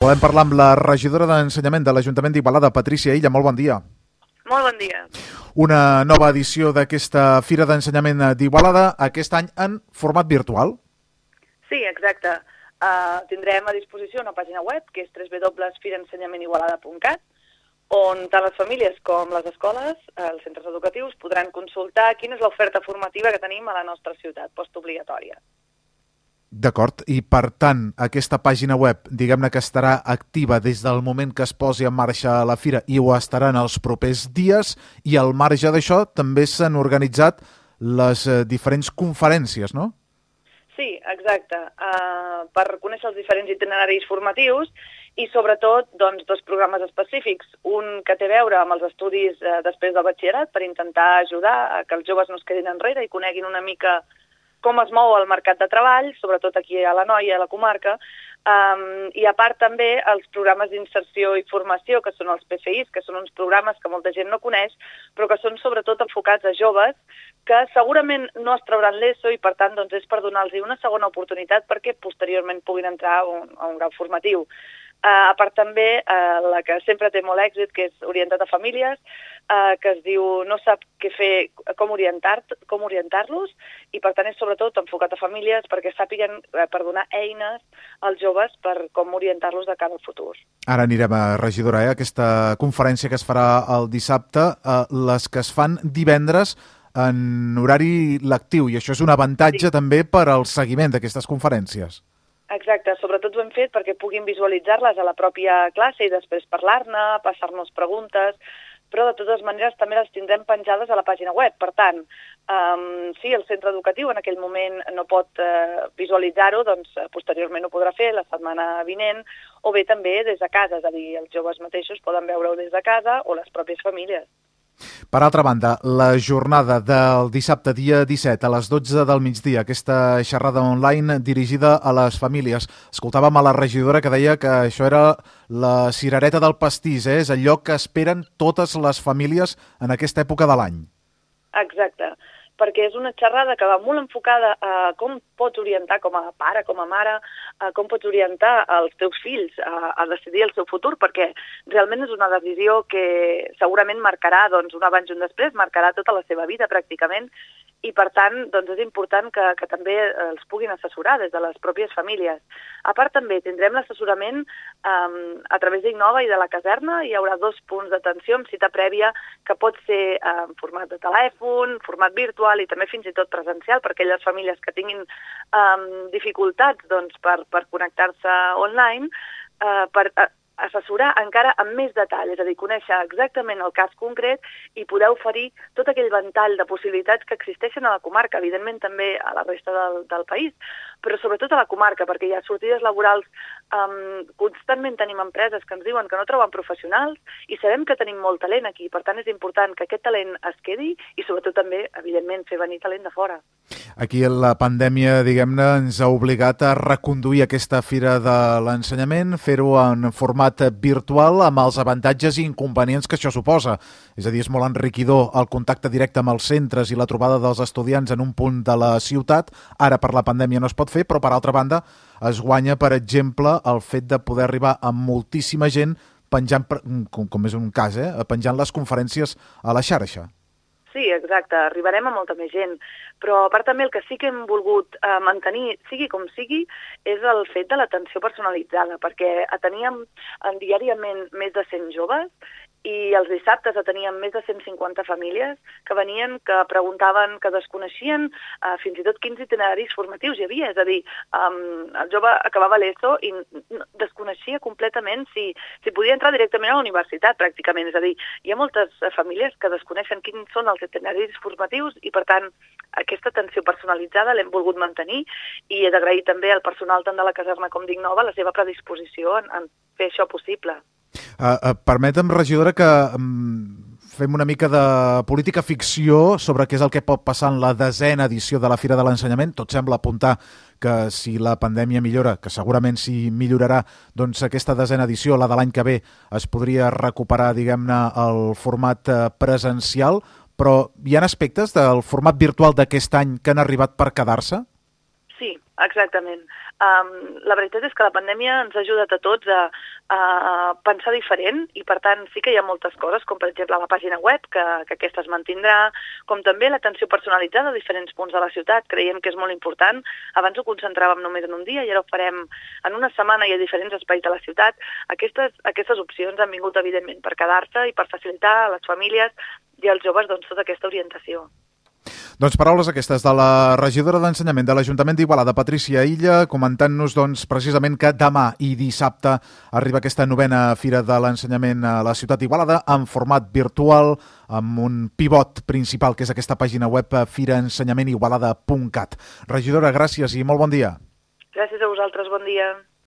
Volem parlar amb la regidora d'Ensenyament de l'Ajuntament d'Igualada, Patrícia Illa. Molt bon dia. Molt bon dia. Una nova edició d'aquesta Fira d'Ensenyament d'Igualada, aquest any en format virtual. Sí, exacte. Tindrem a disposició una pàgina web, que és www.firaensenyamentigualada.cat, on tant les famílies com les escoles, els centres educatius, podran consultar quina és l'oferta formativa que tenim a la nostra ciutat, postobligatòria. D'acord, i per tant, aquesta pàgina web, diguem-ne que estarà activa des del moment que es posi en marxa la Fira i ho estarà en els propers dies, i al marge d'això també s'han organitzat les diferents conferències, no? Sí, exacte, per conèixer els diferents itineraris formatius i sobretot doncs, dos programes específics, un que té a veure amb els estudis després del batxillerat per intentar ajudar a que els joves no es quedin enrere i coneguin una mica com es mou el mercat de treball, sobretot aquí a l'Anoia, a la comarca, i a part també els programes d'inserció i formació, que són els PFIs, que són uns programes que molta gent no coneix, però que són sobretot enfocats a joves que segurament no es trauran l'ESO i per tant doncs, és per donar-los una segona oportunitat perquè posteriorment puguin entrar a un grau formatiu. A part també la que sempre té molt èxit, que és orientat a famílies, que es diu No sap què fer, com orientar-los, i per tant és sobretot enfocat a famílies perquè sàpiguen per donar eines als joves per com orientar-los de cara al futur. Ara anirem a regidora, aquesta conferència que es farà el dissabte, les que es fan divendres en horari lectiu, i això és un avantatge també per al seguiment d'aquestes conferències. Exacte, sobretot ho hem fet perquè puguin visualitzar-les a la pròpia classe i després parlar-ne, passar-nos preguntes, però de totes maneres també les tindrem penjades a la pàgina web. Per tant, si el centre educatiu en aquell moment no pot visualitzar-ho, doncs posteriorment ho podrà fer la setmana vinent, o bé també des de casa, és a dir, els joves mateixos poden veure-ho des de casa o les pròpies famílies. Per altra banda, la jornada del dissabte, dia 17, a les 12 del migdia, aquesta xerrada online dirigida a les famílies. Escoltàvem a la regidora que deia que això era la cirereta del pastís, és allò que esperen totes les famílies en aquesta època de l'any. Exacte, perquè és una xerrada que va molt enfocada a com pots orientar com a pare, com a mare, com pots orientar els teus fills a decidir el seu futur, perquè realment és una decisió que segurament marcarà doncs, un abans i un després, marcarà tota la seva vida pràcticament, i per tant doncs, és important que també els puguin assessorar des de les pròpies famílies. A part també tindrem l'assessorament a través d'Innova i de la caserna. Hi haurà 2 punts d'atenció amb cita prèvia que pot ser en format de telèfon, format virtual i també fins i tot presencial per aquelles famílies que tinguin dificultats doncs, per connectar-se online, per assessorar encara amb més detall, és a dir, conèixer exactament el cas concret i poder oferir tot aquell ventall de possibilitats que existeixen a la comarca, evidentment també a la resta del país, però sobretot a la comarca, perquè hi ha sortides laborals, constantment tenim empreses que ens diuen que no troben professionals i sabem que tenim molt talent aquí, per tant és important que aquest talent es quedi i sobretot també, evidentment, fer venir talent de fora. Aquí la pandèmia, diguem-ne, ens ha obligat a reconduir aquesta Fira de l'Ensenyament, fer-ho en format virtual amb els avantatges i inconvenients que això suposa. És a dir, és molt enriquidor el contacte directe amb els centres i la trobada dels estudiants en un punt de la ciutat. Ara per la pandèmia no es pot fer, però per altra banda es guanya, per exemple, el fet de poder arribar a moltíssima gent penjant, com és un cas, penjant les conferències a la xarxa. Sí, exacte, arribarem a molta més gent, però a part també el que sí que hem volgut mantenir, sigui com sigui, és el fet de l'atenció personalitzada, perquè ateníem diàriament més de 100 joves i els dissabtes ateníem més de 150 famílies que venien, que preguntaven, que desconeixien fins i tot quins itineraris formatius hi havia, és a dir, el jove acabava l'ESO i desconeixia completament si podia entrar directament a la universitat, pràcticament, és a dir, hi ha moltes famílies que desconeixen quins són els itineraris formatius i, per tant, aquesta atenció personalitzada l'hem volgut mantenir i he d'agrair també al personal tant de la caserna com d'Innova la seva predisposició en fer això possible. Permetem, regidora, que fem una mica de política ficció sobre què és el que pot passar en la 10ª edició de la Fira de l'Ensenyament. Tot sembla apuntar que si la pandèmia millora, que segurament sí millorarà, doncs aquesta 10ª edició, la de l'any que ve, es podria recuperar, diguem-ne, el format presencial, però hi ha aspectes del format virtual d'aquest any que han arribat per quedar-se? Sí, Exactament. La veritat és que la pandèmia ens ha ajudat a tots a pensar diferent i, per tant, sí que hi ha moltes coses, com per exemple la pàgina web, que aquesta es mantindrà, com també l'atenció personalitzada a diferents punts de la ciutat. Creiem que és molt important. Abans ho concentràvem només en un dia i ara ho farem en una setmana i a diferents espais de la ciutat. Aquestes opcions han vingut, evidentment, per quedar-se i per facilitar a les famílies i als joves tota aquesta orientació. Doncs paraules aquestes de la regidora d'Ensenyament de l'Ajuntament d'Igualada, Patrícia Illa, comentant-nos precisament que demà i dissabte arriba aquesta 9a Fira de l'Ensenyament a la ciutat d'Igualada en format virtual, amb un pivot principal, que és aquesta pàgina web firaensenyamenigualada.cat. Regidora, gràcies i molt bon dia. Gràcies a vosaltres, bon dia.